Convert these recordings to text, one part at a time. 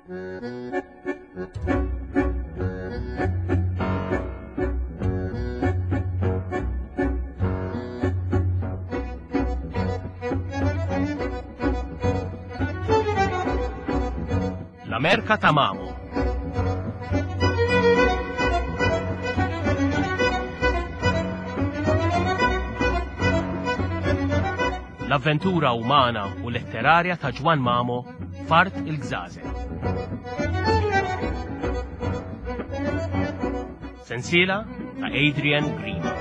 L-Amerka ta' Mamo. L-avventura umana u letterarja ta' Ġwann Mamo f'Art il-Gżażel. Sensiela ta' Adrian Grima.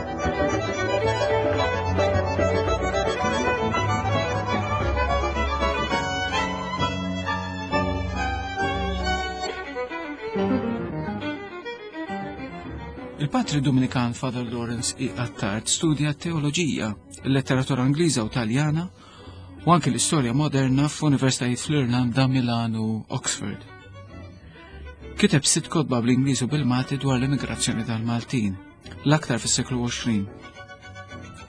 Il-patri Dominikan Father Lawrence E. Attard studja teoloġija, il-letteratura Ingliża u Taljana u anke l-istorja moderna f'universitajiet fl-Irlanda, Milan u Oxford. Kiteb sitt kotba bl-Ingliż u bil-Malti dwar l-immigrazzjoni tal-Maltin, l-aktar fis-seklu 20.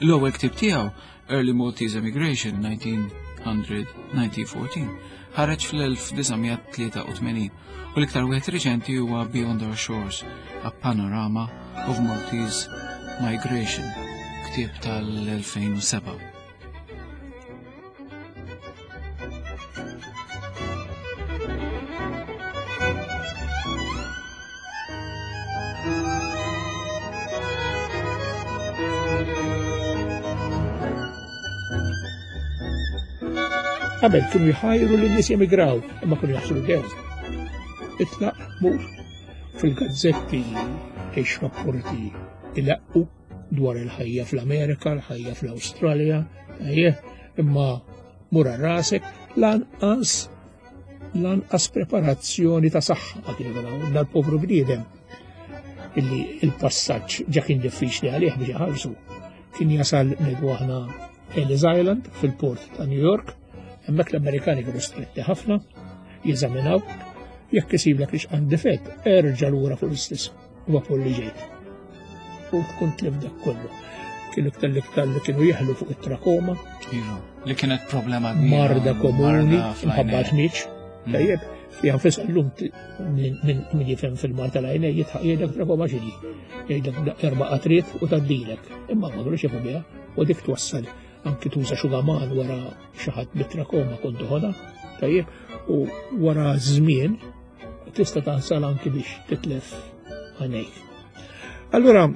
L-ewwel ktieb tiegħu, Early Maltese Emigration 1900-1914, ħareġ fl-1983 u l-iktar wieħed riċenti huwa Beyond Our Shores, A Panorama of Maltese Migration, ktieb tal-2007. Qabel kienu jħajru lin nies jemigraw, imma kienu jaħslu dew. Itlaq mur fil-gazzetti ix rapporti ilaqqu dwar il-ħajja fl-Amerika, l-ħajja fl-Awstralja, imma mur rasek lanqas lanqas preparazzjoni ta' saħħa ma kienu jkun dal-povru bniedem illi il-passaġġ ġa kien diffiċli għalih biex iħallsu. Kien jasal ngħidu aħna Ellis Island fil-port ta' New York, hemmhekk l-Amerikani kienu stretti ħafna, jeżaminaw, jekk isiblek li xqan difett, erġa' lura fuq l-istess vapur li ġejt. U tkun tlif dak kollu. Kienu iktar l-iktar li kienu jeħlu fuq it-trakoma. Iva, li kienet problema Marda komuni, mħabba ħmiġ. Mm. Tajjeb, fi għanfis l-lum min jifhem fil-mar tal-għajnej jitħaq jgħidlek trakoma xini. Jgħidlek erba' qatriet u taddilek. Imma ma kienux jafu biha u dik twassal anki tuża xugaman wara xi ħadd bit-trakoma kont toħodha. Tajjeb, u wara żmien tista' tansal anki biex titlef għajnejk. Allura,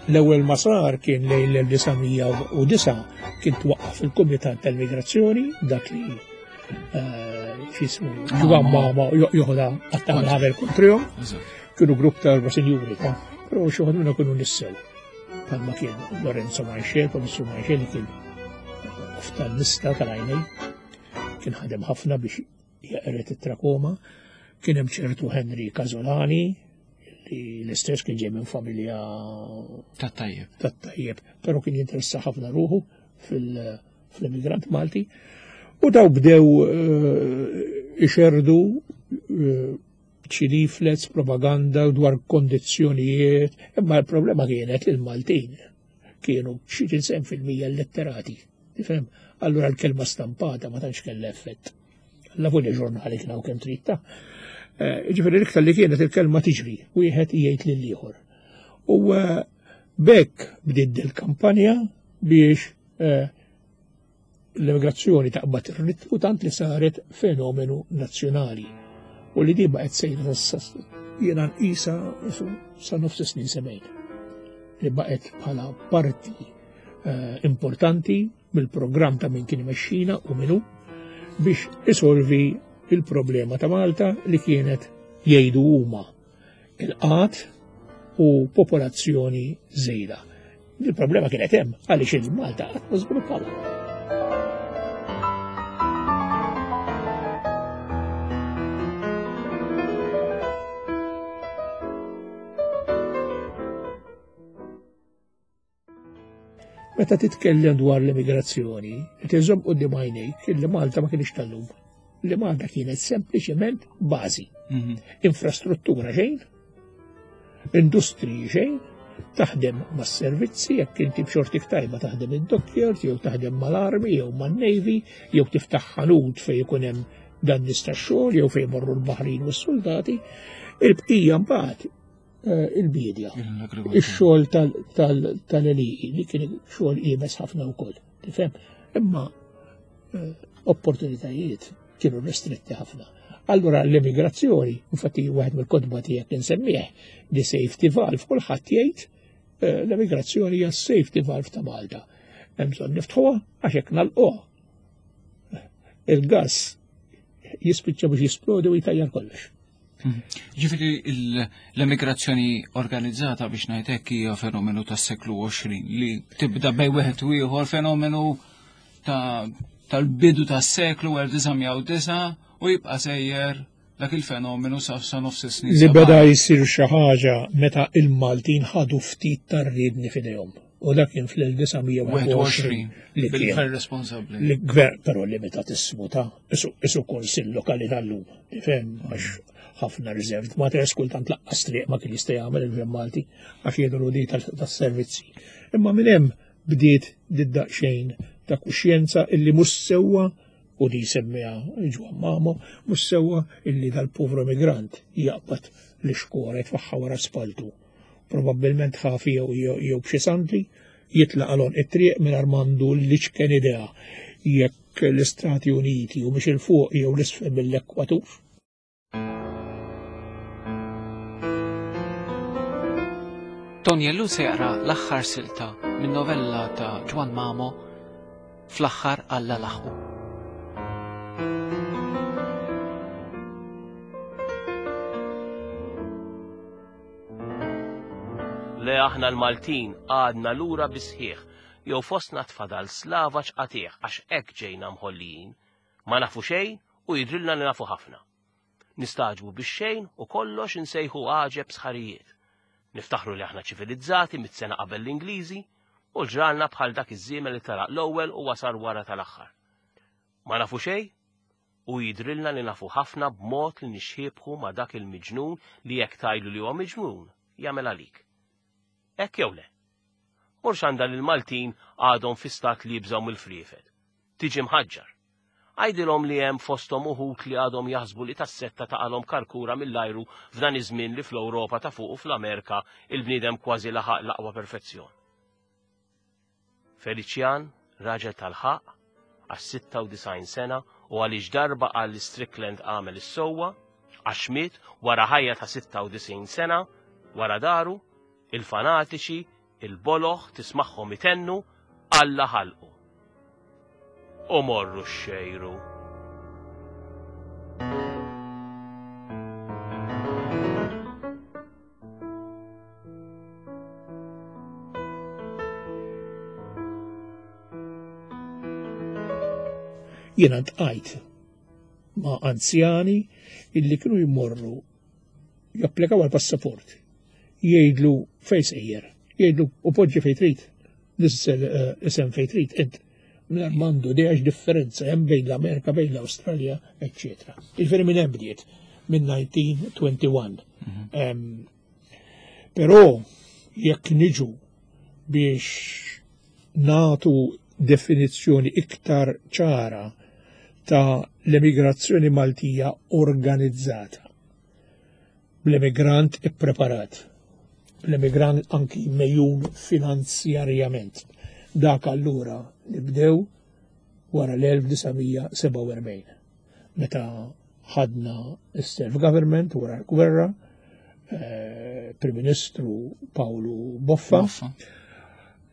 l-ewwel ma sar kien lejn l-1909 kien twaqqaf il-Kumitat tal-Migrazzjoni, dak li eh, xismu ġwan mama joħodha għattamel ħavel kontrihom. Kienu grupp ta' erba' sinjuri ta' però xi ħadd minnhom kienu nissew. Palma kien Lorenzo Manxel, Professur Manxel li kien oftalmista tal-għajnej, kien ħadem ħafna biex jeqret it-trakoma, kien hemm ċertu Henry Casolani, li l-istess kien ġej minn familja tat-tajjeb. Tat-tajjeb, però kien jinteressa ħafna ruħu fil-immigrant Malti. U daw bdew eh, ixerdu eh, xi leaflets, propaganda dwar kondizzjonijiet, imma l-problema kienet li l-Maltin kienu xi 90% letterati. Tifhem? Allura l-kelma stampata ma tantx kellha effett. Alla volja ġurnali kien hawn kemm trid ta'. Eh, ġifieri l-iktar li kienet il-kelma tiġri, wieħed jgħid lil ieħor. U eh, bekk bdiet il-kampanja biex eh, l-immigrazzjoni taqbad ir-ritmu tant li saret fenomenu nazzjonali u li di baqgħet sejra jiena nqisa sa nofs snin sebgħin li baqgħet bħala parti eh, importanti mill-programm ta' min kien imexxina u minu biex isolvi il-problema ta' Malta li kienet jgħidu huma il-qat u popolazzjoni żejda. Il-problema kienet hemm għaliex il-Malta qatt ma żviluppawha. Meta titkellem dwar l-immigrazzjoni, qed iżomm quddiem għajnejk li Malta ma kienx tal-lum. Li Malta kienet sempliċement bażi. Mhm. Infrastruttura xejn, industriji xejn, taħdem mas-servizzi, jekk inti b'xortik tajba taħdem id-dockyard, jew taħdem mal-armi, jew man-navy, jew tiftaħ ħanut fejn ikun hemm dan nies tax-xogħol jew fejn morru l-baħrin u s-soldati, il-bqija mbagħad eh, il-bidja. Ix-xogħol tal-għelieqi li kien xogħol iebes ħafna wkoll. Tifhem? Imma eh, opportunitajiet kienu restretti ħafna. Allura l-emigrazzjoni, infatti wieħed mill-kotba tiegħek insemmih, di safety valve, kulħadd jgħid eh, l-emigrazzjoni hija safety valve ta' Malta. Hemm bżonn niftħuha għax hekk nagħlquha. Il-gass jispiċċa biex jisplodi u jtajjar kollox. Mhm. Ġifieri l-emigrazzjoni organizzata biex ngħid hekk hija fenomenu tas-seklu 20 li tibda bej wieħed u ieħor fenomenu tal-bidu tas-seklu 1909 u jibqa' sejjer dak il-fenomenu sa sa nofs is-snin. Li beda jsir xi ħaġa meta il-Maltin ħadu ftit tar-riedni f'idejhom. U dak kien fl-1921 li kien responsabbli. Li gvern però limitat ismu ta' isu kunsill lokali tal-lum. Tifhem għax ħafna reserved matters kultant laqqas triq ma kien jista' jagħmel il-Gvern Malti għax jidhru di tas-servizzi. Imma minn hemm bdiet did-daqsxejn ta' kuxjenza illi mhux sewwa u li jsemmiha Ġwann Mamo, mhux sewwa illi dal-povru emigrant jaqbad l-ixkora jitfaħħa wara spaltu. Probabbilment ħafi jew b'xi sandli jitlaq għal it-triq mingħajr m'għandu l-iċken idea jekk l-Istati Uniti u mhix il fuq jew l-isfel mill-ekwatur. Tony Ellul se jaqra l-aħħar silta minn novella ta' Ġwann Mamo fl-aħħar Alla laħqu. Le aħna l-Maltin għadna lura bisħieħ jew fostna tfadal slavaġ qatigħ għax hekk ġejna mħollijin. Ma nafu xejn u jidhrilna li nafu ħafna. Nistagħġbu bix-xejn u kollox insejħu għaġeb sħarijiet. Niftaħru li aħna ċivilizzati mit-sena qabel l-Ingliżi u ġralna bħal dak iż-żiemel li telaq l-ewwel u wasal wara tal-aħħar. Ma nafu xejn u jidhrilna li nafu ħafna b'mod li nixxiebħu ma' dak il-miġnun li jekk tgħidlu li huwa miġnun, jagħmel għalik. Hekk jew le? Morx għandha li l-Maltin għadhom fi stat li jibżgħu mill-friefet. Tiġi mħaġġar. Għidilhom li hemm fosthom uħud li għadhom jaħsbu li tas-setta taqalhom karkura mill-ajru f'dan iż-żmien li fl-Ewropa ta' fuq u fl-Amerika il-bniedem kważi laħaq l-aqwa perfezzjon. Feliċjan, raġel tal-ħaqq, għax 96 sena u għaliex darba qal li Strickland għamel is-sewwa, għax miet wara ħajja ta' 96 sena, wara daru, il-fanatiċi, il-boloh tismagħhom itennu, Alla ħalqu. U morru xxejru. Jiena ntqajt ma' anzjani illi kienu jmorru japplikaw għal passaport, jgħidlu fejn sejjer, jgħidlu u poġġi fejn trid, nissel eh, isem fejn trid int. Mingħajr m'għandu idea differenza hemm bejn l-Amerika, bejn l-Awstralja, eċċetera. Jiġifieri minn hemm bdiet minn 1921. Mhm. Però jekk niġu biex natu definizzjoni iktar ċara ta' l-emigrazzjoni Maltija organizzata. Bl-emigrant ippreparat, bl-emigrant anki mejjun finanzjarjament. Dak allura li bdew wara l-1947, meta ħadna s-self-government wara l-gwerra, eh, Prim Ministru Pawlu Boffa,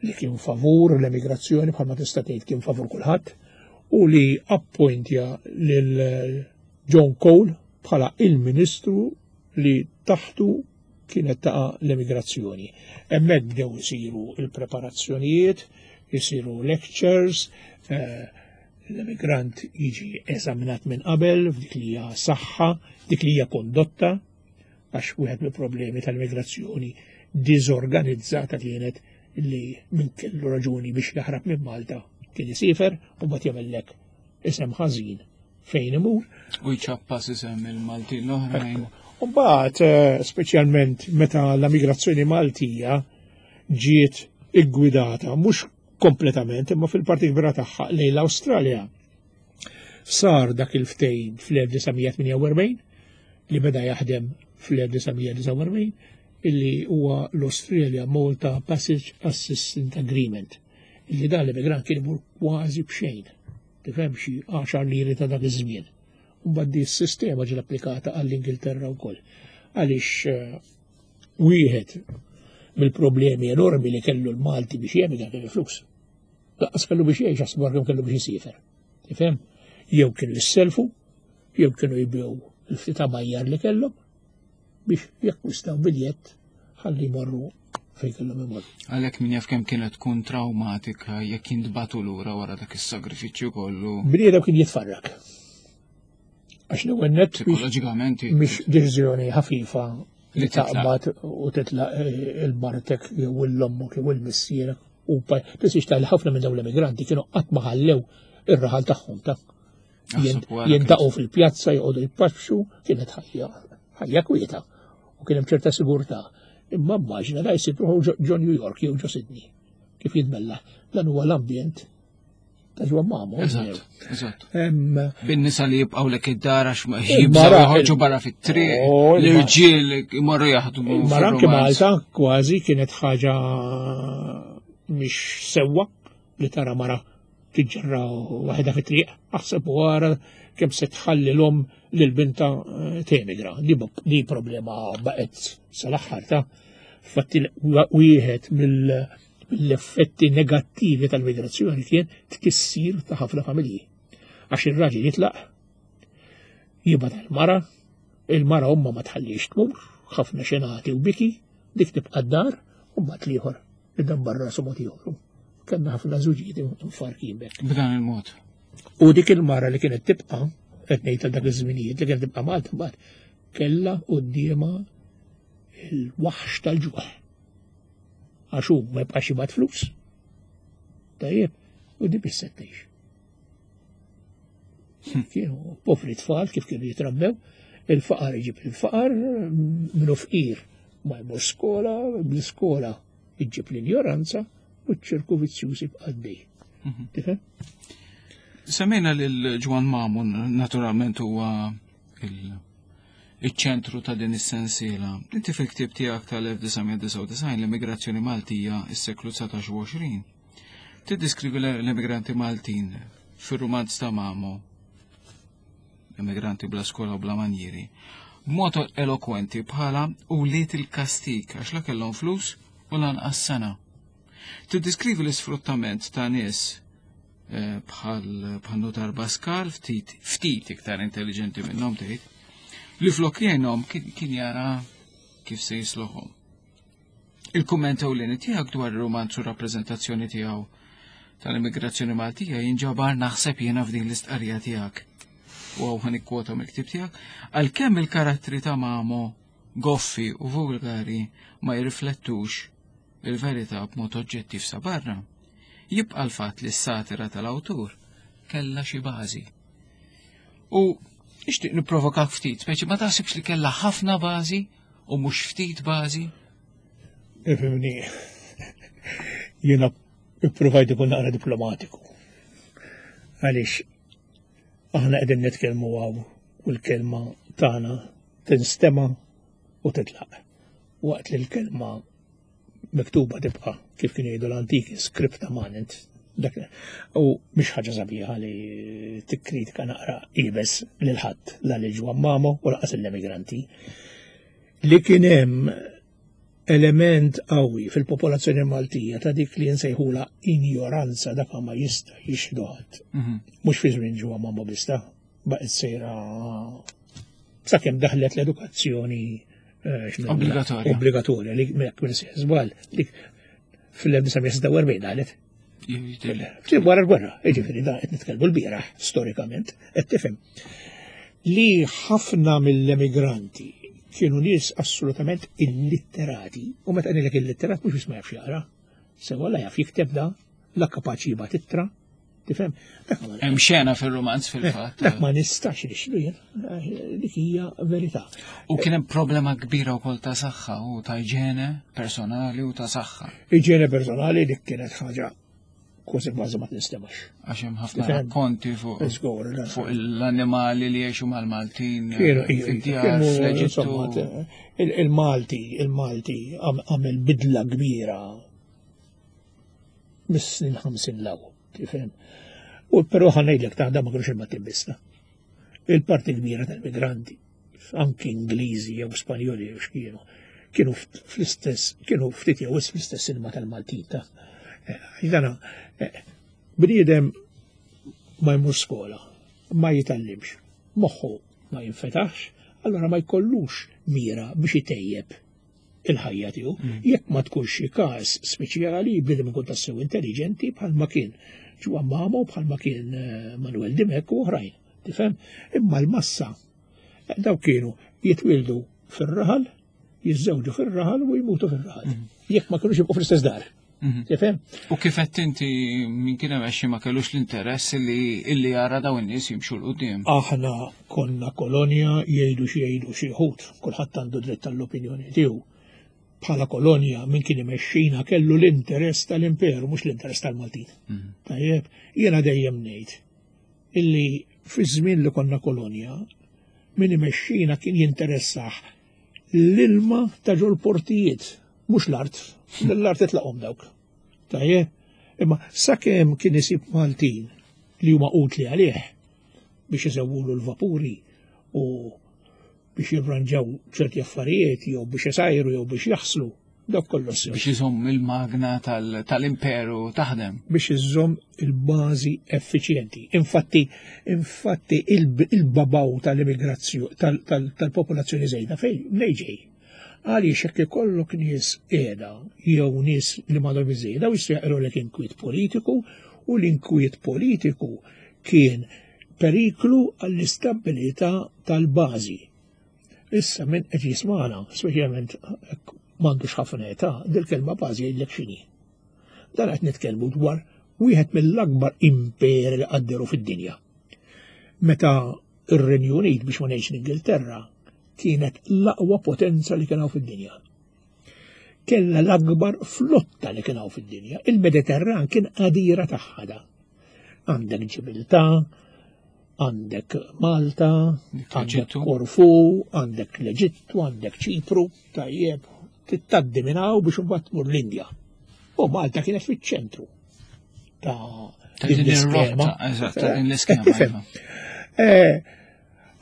li kien favur l-emigrazzjoni bħalma tista' tgħid kien favur kulħadd, u li appointja lil John Cole bħala il-Ministru li taħtu kienet taqa' l-emigrazzjoni. Hemmhekk bdew isiru il-preparazzjonijiet, isiru lectures, eh, l-emigrant jiġi eżaminat minn qabel f'dik li hija saħħa, dik li hija kondotta, għax wieħed mill-problemi tal-immigrazzjoni diżorganizzata kienet li min kellu raġuni biex jaħrab minn Malta kien isifer u mbagħad jagħmellek isem ħażin fejn imur. U jċappas isem il-Maltin l-oħrajn. U mbagħad eh, speċjalment meta l-migrazzjoni Maltija ġiet iggwidata mhux kompletament imma fil-parti kbira tagħha lejn l-Awstralja. Sar dak il-ftehim fl-1948 li beda jaħdem fl-1949 illi huwa l-Australia Malta Passage Assistance Agreement illi dan l-immigrant kien imur kważi b'xejn. Tifhem xi 10 liri ta' dak iż-żmien. U mbagħad di s-sistema ġiet applikata għall-Ingilterra wkoll. Għaliex eh, wieħed mill-problemi enormi li kellu l-Malti biex jemigra kien il-flus. Laqqas kellu biex jgħix għax kemm kellu biex jisiefer. Tifhem? Jew kienu jisselfu, jew kienu jibgħu il-ftit majjar li kellhom biex jakkwistaw biljett ħalli jmorru fejn kellhom imorru. Għalhekk min jaf kemm kienet tkun traumatika jekk jintbatu lura wara dak is-sagrifiċċju kollu. Bniedem kien jitfarrak. Għax l-ewwel nett psikoloġikament mhix deċiżjoni ħafifa li taqbad u titlaq eh, il-martek jew l-ommok jew il-missierek u tisix tal ħafna minn dawn l-emigranti kienu qatt ma ħallew ir-raħal tagħhom ta' jintaqgħu fil-pjazza joqogħdu jpaxxu kienet ħajja ħajja kwieta u kien hemm ċerta sigurtà. Imma immaġina da jsib ruħu ġo New York jew ġo Sydney kif jitbella. Dan huwa l-ambjent ta' ġwa mamu. Eżatt, eżatt. Bin-nisa li jibqgħu lek id-dar għax ma jibżgħu joħorġu barra fit-triq, oh, l-irġiel imorru jaħdmu. Mara anke Malta kważi kienet ħaġa mhix sewwa li tara mara tiġġerra waħedha fit-triq, aħseb u ara kemm se tħalli l-om lil binta eh, temigra. Di problema baqgħet sal-aħħar ta' fatti wieħed mill-effetti negattivi tal-migrazzjoni kien tkissir ta' ħafna familji. Għax ir-raġel jitlaq, jibgħat il-mara, il-mara umma ma tħallix tmur, ħafna xenati u biki, dik tibqa' d-dar, u mbagħad l-ieħor Idabbar rasu mod ieħor. Kellna ħafna żuġijiet infarkin bekk. B'dan il-mod. U dik il-mara li kienet tibqa' qed ngħid dak iż-żminijiet li kienet tibqa' Malta mbagħad kellha quddiemha il-waħx tal-ġuħ. Għax hu ma jibqax jibgħat flus. Tajjeb, u di biss tgħix. Kienu povri tfal kif kienu jitrabbew, il-faqar iġib il-faqar, minnu fqir ma jmur skola, bl-iskola iġib l-injoranza u ċ-ċirku vizzjuż jibqa' għaddej. Mhm. Tifhem? Semmejna lil Ġwan Mamun, naturalment huwa il-ċentru ta' din is-sensiela. Inti fil-ktieb tiegħek tal-1999 l-immigrazzjoni Maltija is-seklu 19 u 20. Tiddiskrivi l-emigranti Maltin fir-rumanz ta' Mamo, emigranti bla skola u bla manjieri, b'mod elokwenti bħala ulied il-kastig għax la kellhom flus u lanqas sena. Tiddiskrivi l-isfruttament ta' nies eh, bħal bħal Notar Pascal ftit ftit iktar intelligenti minnhom tgħid li flok jgħinhom kien jara kif se jisloħhom. Il-kumment ewlieni tiegħek dwar ir-rumanz u rappreżentazzjoni tiegħu tal-immigrazzjoni Maltija jinġabar naħseb jiena f'din l-istqarrija tiegħek. U hawn ħa nikkwota mill-ktieb tiegħek, għalkemm il-karattri ta' Mamo goffi u vulgari ma jirriflettux il-verità b'mod oġġettiv sa barra, jibqa' l-fatt li s-satira tal-awtur kellha xi bażi. U nixtieq nipprovokak ftit, speċi ma taħsibx li kellha ħafna bażi u mhux ftit bażi? Ifimni, jiena ipprovajt ikun naqra diplomatiku. Għaliex aħna qegħdin nitkellmu għaw u l-kelma tagħna tinstema u titlaq. Waqt li l-kelma miktuba tibqa' kif kienu jgħidu l-antiki scripta manent. Dak u mhix ħaġa sabiħa li tikkritika naqra ibes lil ħadd la lil Ġwan Mamo u laqas l-emigranti. Li kien hemm element qawwi fil-popolazzjoni Maltija ta' dik li nsejħula injoranza dak ma jista' jixhdu ħadd. Mhm. Mhux fi żmien Ġwan Mamo bista, baqgħet sejra sakemm daħlet l-edukazzjoni eh, obbligatorja. Obbligatorja li mekk minn żball dik fil-1946 daħlet. Ftit wara l-gwerra, jiġifieri da qed nitkellmu l-bieraħ storikament, qed tifhem li ħafna mill-emigranti kienu nies assolutament illitterati, u meta ngħidlek illitterat mhux biss ma jafx jaqra, sewa la jaf jikteb da, la kapaċi jibgħat ittra, tifhem? Hemm xena fir-romanz fil-fatt. Dak ma nistax nixlu jien, dik hija verità. U kien hemm problema kbira wkoll ta' saħħa u ta' iġene personali u ta' saħħa. Iġene personali dik kienet ħaġa. Kważi kważi ma tinstemax. Għax hemm ħafna rakkonti fuq fuq l-annimali li jgħixu mal-Maltin. Kienu fl-Eġittu. Il-Malti, il-Malti għamel bidla kbira mis-snin 50 law, tifhem. U però ħanejdlek ta' ma kienux il-Maltin biss. Il-parti kbira tal-migranti, anki Ingliżi jew Spanjoli jew x'kienu, kienu fl-istess, kienu ftit jew fl-istess ilma tal-Maltin ta' eh, dana eh, bniedem ma jmur skola, ma jitallimx, moħħu ma jinfetaħx, allora ma jkollux mira biex itejjeb il-ħajja tiegħu. Jekk ma tkunx xi każ speċjali, bniedem ikun tassew intelligenti bħalma kien Ġwan Mamo, bħalma kien eh, Manuel Dimek u oħrajn. Tifhem? Imma l-massa eh, daw kienu jitwildu fir-raħal, jiżżewġu fir-raħal u jmutu fir-raħal. Jekk ma kienux jibqgħu fl-istess dar. Mhm. Tifhem? U kif qed inti min kien hemm ma kellux l-interess li illi jara dawn in-nies jimxu l qudiem. Aħna konna kolonja jgħidu xi jgħidu xi ħut, kulħadd għandu dritt tal-opinjoni tiegħu. Bħala kolonja min kien imexxina kellu l-interess tal-imperu mhux l-interess tal-Maltin. Mhm. Tajjeb, jiena dejjem ngħid illi fi żmien li konna kolonja min imexxina kien jinteressah l-ilma ta' ġol portijiet, mhux l-art, l-art itlaqhom dawk. Tajjeb, imma sakemm kien isib Maltin li huma utli għalih biex isewwulu l-vapuri u biex jirranġaw ċerti affarijiet jew biex isajru jew biex jaħslu, dak kollu sew. Biex iżomm il-magna tal-imperu taħdem. Biex iżomm il-bażi effiċjenti. Infatti, infatti il-babaw tal-immigrazzjoni tal-popolazzjoni żejda fejn mnej ġej. Għaliex jekk ikollok nies qiegħda jew nies li m'għandhom iżejda u jistgħu jaqilgħulek inkwiet politiku u l-inkwiet politiku kien periklu għall-istabbilità tal-bażi. Issa minn qed jismana, speċjalment m'għandux ħafna età, dil-kelma bażi jgħidlek x'inhi. Dan qed nitkellmu dwar wieħed mill-akbar imperi li qadderu fid-dinja. Meta ir-Renju Unit biex ma ngħidx l-Ingilterra kienet l-aqwa potenza li kien hawn fid-dinja. Kella l-akbar flotta li kien hawn fid-dinja. Il-Mediterran kien qadira tagħha da. Għandek Ġibiltà, għandek Malta, għandek Korfu, għandek l-Eġittu, għandek Ċipru, tajjeb, tittaddi minn hawn biex imbagħad tmur l-Indja. U Malta kienet fiċ-ċentru ta' din l-iskema. Eżatt, ta' din l-iskema. Iva. Eh,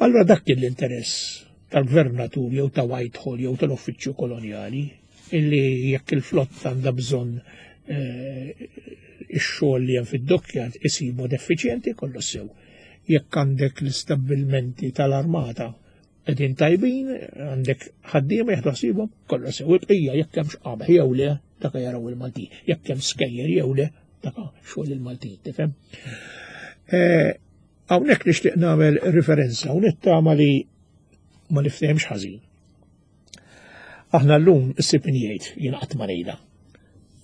allora dak kien l-interess tal-gvernatur jew ta' Whitehall jew tal-uffiċċju kolonjali illi jekk il-flotta għandha bżonn eh, ix-xogħol li hemm fid-dockyard isir mod effiċjenti kollu sew. Jekk għandek l-istabbilmenti tal-armata qegħdin tajbin, għandek ħaddiema jieħdu ħsiebhom, kollu sew. Il-bqija jekk hemmx qamħ jew le, dak jaraw il-Maltin. Jekk hemm skejjer jew le, dak xogħol il-Maltin, tifhem? Eh, hawnhekk nixtieq nagħmel riferenza u nittama li ma niftehemx ħażin. Aħna llum issib min jgħid jien qatt ma ngħidha.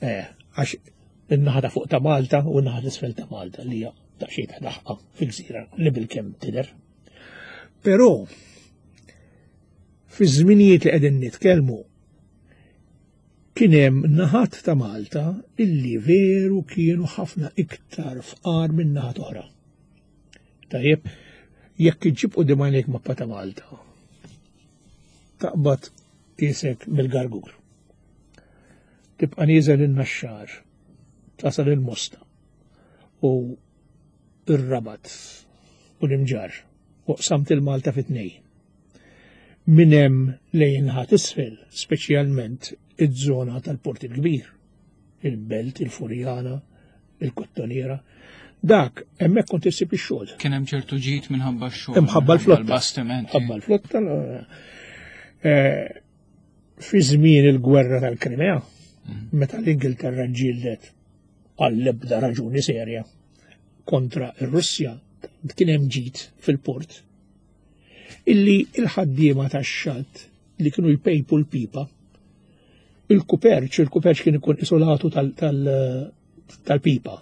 Eh, għax in-naħa ta' fuq ta' Malta u n-naħa t'isfel ta' Malta li hija daqsxejn ta' daħqa fil-gżira li bilkemm tidher. Però fi żminijiet li qegħdin nitkellmu kien hemm naħat ta' Malta illi veru kienu ħafna iktar fqar minn naħat oħra. Tajjeb, jekk iġġib quddiem għajnejk mappa ta' Malta, taqbad isek mill-Gargur. Tibqa' nieżel in-Naxxar, tasal il-Mosta u ir-Rabat u l-Imġarr u qsamt il-Malta fi tnej. Minn hemm lejn naħa t'isfel, speċjalment iż-żona tal-Port il-Kbir, il-Belt, il-Furjana, il-Kottoniera, dak hemmhekk kont issib ix-xogħol. Kien hemm ċertu ġid minħabba x-xogħol. Imħabba l-flotta. L-bastimenti. Ħabba l-flotta. Eh, fi żmien il-gwerra tal-Krimea, mm. meta l-Ingilterra ġġieldet għall-ebda raġuni serja kontra ir-Russja, kien hemm ġid fil-port. Illi il-ħaddiema tax-xatt li kienu jpejpu l-pipa, il-kuperċ, il-kuperċ kien ikun isolatu tal-pipa,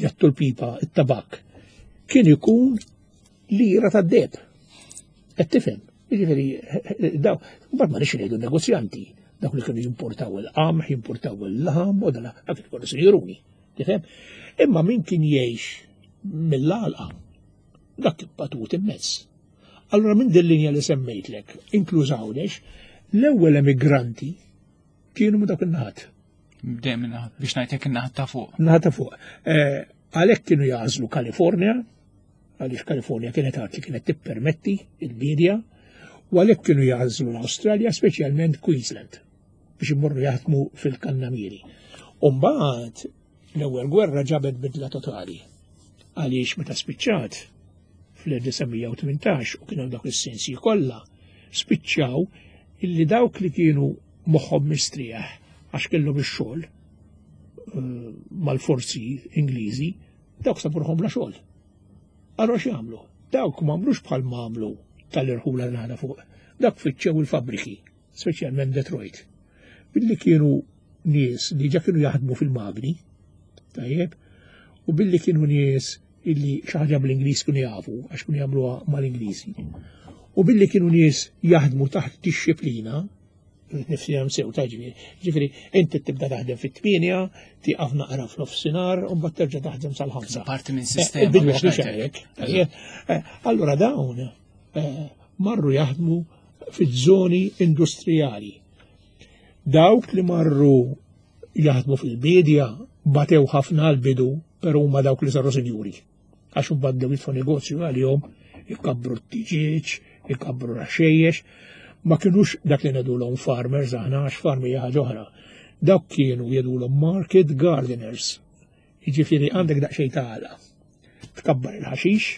jattu l-pipa, it-tabak, kien ikun lira tad-deb. Qed tifhem? Jiġifieri daw, mbagħad ma nix ngħidu negozjanti, dawk li kienu jimportaw il-qamħ, jimportaw il-laħam, u dala, dak ikunu sinjuruni. Tifhem? Imma min kien jgħix mill-għalqa, dak kien batut immens. Allura minn din linja li semmejtlek, inkluż Għawdex, l-ewwel emigranti kienu minn dawk in-naħat. Dejjem in-naħat, biex ngħidlek in-naħat ta' fuq. Naħat ta' fuq. Eh, għalhekk kienu jagħżlu Kalifornja, għaliex Kalifornja kienet art li kienet tippermetti il-bidja, u għalhekk kienu jagħżlu l-Awstralja, speċjalment Queensland, biex imorru jaħdmu fil-kannamieri. U mbagħad l-ewwel gwerra ġabet bidla totali. Għaliex meta spiċċat fl-1918 u kienu dawk is-sensi kollha, spiċċaw illi dawk li kienu moħħhom mistrieħ għax kellhom ix-xogħol eh, mal-forzi Ingliżi, dawk sabu bla xogħol. Allura x'jagħmlu? Dawk m'għamlux bħal m'għamlu tal-irħula l fuq. Dak fittxew il-fabriki, speċjalment Detroit. Billi kienu nies li ġa kienu jaħdmu fil-magni, tajjeb, u billi kienu nies illi xi ħaġa bl-Ingliż kienu jafu, għax kienu jagħmluha mal-Ingliżi. U billi kienu nies jaħdmu taħt dixxiplina, nifsi sew ta' ġifieri. Ġifieri, inti tibda taħdem fit-tmienja, tieqaf naqra f'nofsinhar u mbagħad terġa' taħdem sal-ħamsa. Parti minn eh, sistema. Biex hekk. Eh, allura dawn eh, marru jaħdmu fiż-żoni industrijali. Dawk li marru jaħdmu fil-bidja batew ħafna għal-bidu, pero huma dawk li saru sinjuri. Għax imbagħad bdew jitfu negozju għalihom, ikabbru t-tiġieġ, ikabbru l-ħxejjex. Ma kinux dak li ngħidulhom farmers aħna għax farmi hija ħaġa oħra. Dawk kienu jgħidulhom market gardeners. Jiġifieri għandek daqsxejn ta' għala. Tkabbar il-ħaxix,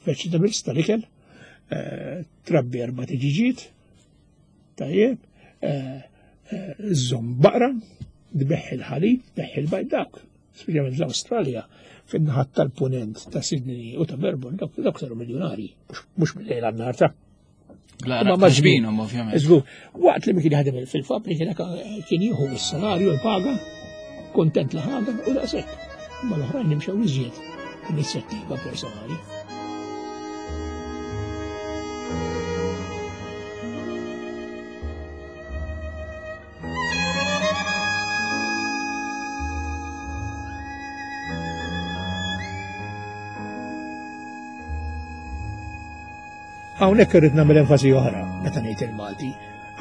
vegetables tal-ikel, eh, trabbi erba' tiġiġiet, tajjeb, eh, eh, żomm baqra, tbeħħ il-ħalib, tbeħħ il-bajd dawk, speċjalment l-Awstralja, fin-naħat tal-punent ta' Sydney u ta' Melbourne, dawk dawk saru miljonari, mhux mill-lejl għan-nar ta' Ma maġbinhom ovvjament. Żgur, waqt li kien jaħdem fil-fabbrika dak kien jieħu s-salarju l-paga, kontent li ħadem u daqshekk. Ma l-oħrajn imxew iżjed inizjattiva personali. Hawnhekk irrid nagħmel enfasi oħra meta ngħid il-Malti.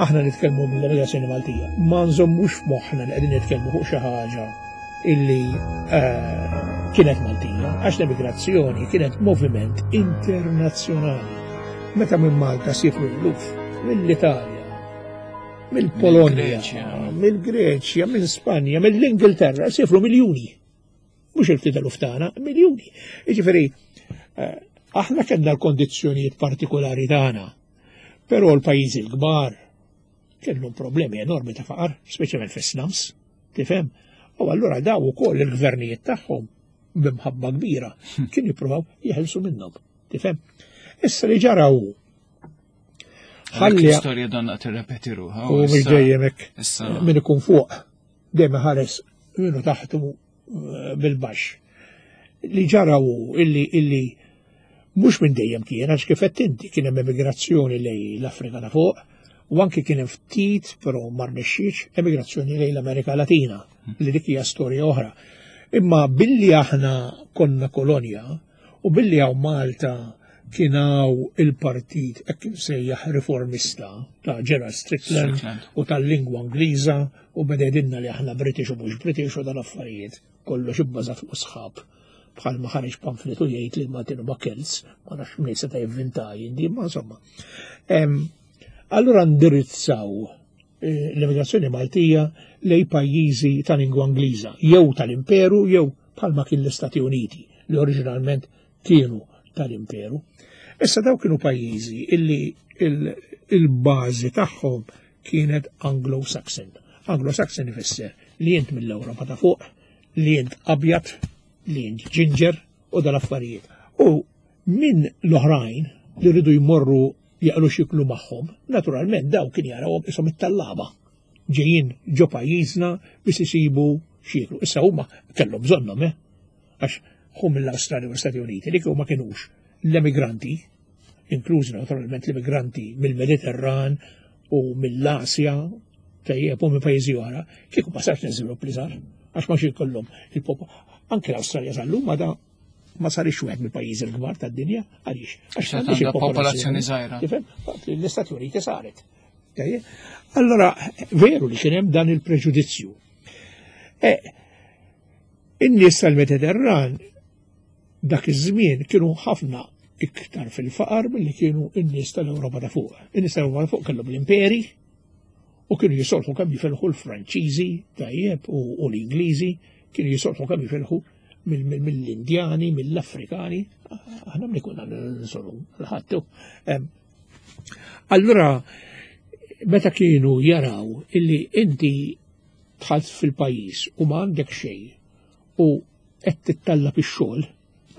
Aħna nitkellmu mill-emigrazzjoni Maltija. Ma nżommux f'moħħna li qegħdin nitkellmu fuq xi ħaġa illi eh, kienet Maltija, għax l-emigrazzjoni kienet moviment internazzjonali. Meta minn Malta sifru l-luf, mill-Italja, mill-Polonja, mill-Greċja, minn Spanja, mill-Ingilterra, sifru miljuni. Mhux il-ftit eluf tagħna, miljuni. Jiġifieri, eh, aħna kellna l-kondizzjonijiet partikolari tagħna, però l-pajjiżi l-kbar kellhom problemi enormi ta' faqar, speċjalment fis-slums, tifhem? U allura daw ukoll il-gvernijiet tagħhom b'imħabba kbira kien jippruvaw jeħilsu minnhom, tifhem? Issa li ġara hu Ħalli l-istorja donna tirrepeti ruħha. U mhux dejjem hekk min ikun fuq dejjem ħares minnu taħtu eh, bil-baxx. Li ġara hu illi illi mhux minn dejjem kien għax kif qed inti kien hemm emigrazzjoni lej l-Afrika ta' fuq u anki kien hemm ftit però ma rnexxietx emigrazzjoni lejn l-Amerika Latina li dik hija storja oħra. Imma billi aħna konna kolonja u billi hawn Malta kien hawn il-partit hekk imsejjaħ riformista ta' Gerald Strickland u tal-lingwa Ingliża u beda jgħidilna li aħna British u mhux British u dan affarijiet kollox ibbażat fuq sħab bħal ma ħareġ pamflet u jgħid li l-Maltin huma Celts, ma nafx min seta' jivvinta jindi, ma insomma. Allura ndirizzaw eh, l-immigrazzjoni Maltija lej pajjiżi ta' lingwa Ingliża, jew tal-Imperu jew bħalma kien l-Istati Uniti li oriġinalment kienu tal-Imperu. Issa daw kienu pajjiżi illi il-bażi tagħhom kienet Anglo-Saxon. Anglo-Saxon ifisser li int mill-Ewropa ta' fuq, li int abjad, li int ġinġer u dal-affarijiet. U minn l-oħrajn li rridu jmorru jaqlu xiklu magħhom, naturalment daw kien jarawhom isom it-tallaba ġejjin ġo pajjiżna biex isibu x'jieklu. Issa huma kellhom bżonnhom, eh? Għax hu mill-Awstralja u l-Stati Uniti li kieku ma kinux l-emigranti, inklużi naturalment l-immigranti mill-Mediterran u mill-Asja, tajjeb u minn pajjiżi oħra, kieku ma sarx l-iżvilupp li sar, għax ma xi jkollhom il-pop. Anke l-Awstralja sal-lum għadha ma sarix wieħed mill-pajjiżi l-kbar tad-dinja, għaliex? Għax għandha popolazzjoni żgħira. Tifhem? L-Istati Uniti saret. Allora, veru li kien hemm dan il-preġudizzju. E, in-nies tal-Mediterran dak iż-żmien kienu ħafna iktar fil-faqar milli kienu n-nies tal-Ewropa ta' fuq. In-nies tal-Ewropa ta' fuq kellhom l-imperi u kienu jisolħu kemm jifilħu l-Franċiżi tajjeb u l-Ingliżi, kienu jisolħu kemm jifilħu mill-Indjani, mill-Afrikani, aħna mni kunna nsolu l-ħattu. Allura, meta kienu jaraw illi inti dħalt fil-pajjiż u ma għandek xejn u qed tittallab ix-xogħol,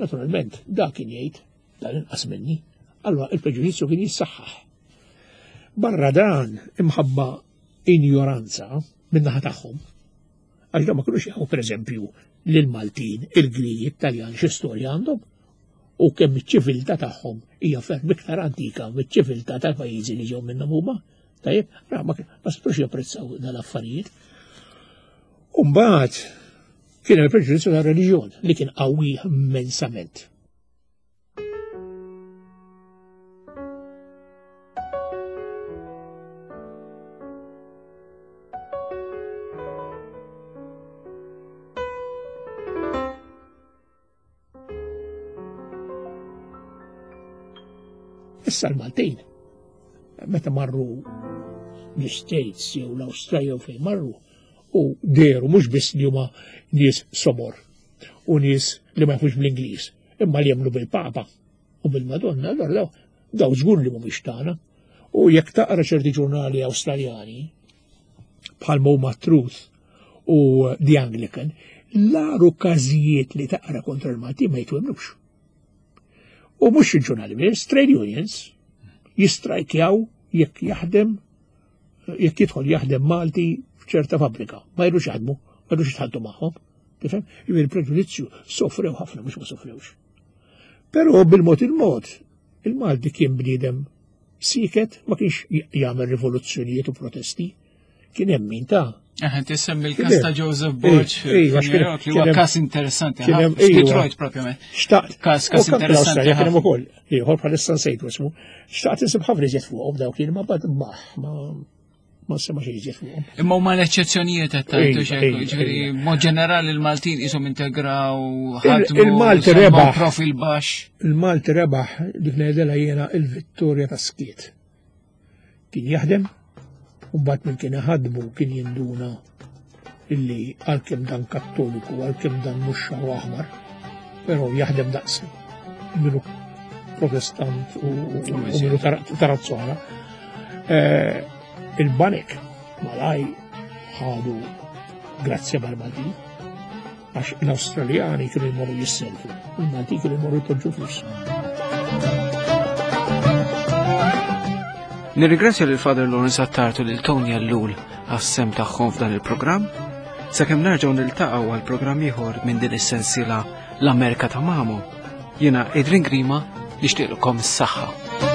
naturalment dak kien jgħid dan inqas minni. Allura il-preġudizzju kien jissaħħaħ. Barra dan imħabba injoranza min-naħa tagħhom. Għax ma kinux jafu pereżempju lill-Maltin, il-Grigi, it-Taljan xi storja għandhom u kemm iċ-ċiviltà tagħhom hija ferm iktar antika miċ-ċiviltà tal-pajjiżi li ġew minnhom huma. Tajjeb, ra ma setgħux japprezzaw dal-affarijiet. U mbagħad kien hemm il-preġudizzju tar-reliġjon li kien qawwi immensament. Issa l-Maltin, meta marru l-States jew l-Awstralja jew fejn marru, u deru mhux biss li huma nies somor u nies li ma jafux bl-Ingliż, imma li jemmnu bil-Papa u bil-Madonna, allora daw daw żgur li mhumiex tagħna. U jekk taqra ċerti ġurnali Awstraljani bħal huma Truth u The Anglican, l-aru każijiet li taqra kontra l-Malti ma jitwemnux. U mhux il-ġurnali biss, trade unions jistrajkjaw jekk jaħdem jekk jidħol jaħdem Malti f'ċerta fabbrika, ma jridux jaħdmu, ma jridux jitħaddu magħhom. Tifhem? Jiġifieri il-preġudizzju sofrew ħafna mhux ma sofrewx. Però bil-mod il-mod, il-Malti kien bniedem siket ma kienx jagħmel rivoluzzjonijiet u protesti. Kien hemm min ta' Eħe, tissemmi l-kas ta' Joseph Borg, li huwa kas interessanti, Detroit propjament. Xtaqt. Kas, kas interessanti. Kien hemm ukoll, ieħor bħalissa nsejtu ismu. Xtaqt insib ħafna iżjed fuqhom dawk li ma bad baħ, ma ma sema xejn iżjed fuqhom. Imma huma l-eċċezzjonijiet qed tgħidu xejn, ġifieri mod ġenerali l-Maltin qishom integraw ħadmu. Il-Malti rebaħ. Profil baxx. Il-Malti rebaħ dik ngħidilha jiena il-vittorja ta' skiet. Kien jaħdem, u mbagħad minn kien iħadmu kien jinduna illi għalkemm dan kattoliku, għalkemm dan mhux xaru aħmar, però jaħdem daqs minnu protestant u minnu tarazzona. Eh, il-banek malaj ħadu grazzja mal-Maltin Għax l-Awstraljani kienu jmorru jisselfu, il-Malti kienu jmorru jpoġġu flus. Nirringrazzja lil Father Lawrence Attard u lil Tony Ellul għas-sem tagħhom f'dan il-programm. Sakemm nerġgħu niltaqgħu għal programm ieħor minn din is-sensiela l-Amerika ta' Mamo. Jiena Adrian Grima nixtieqlkom is-saħħa.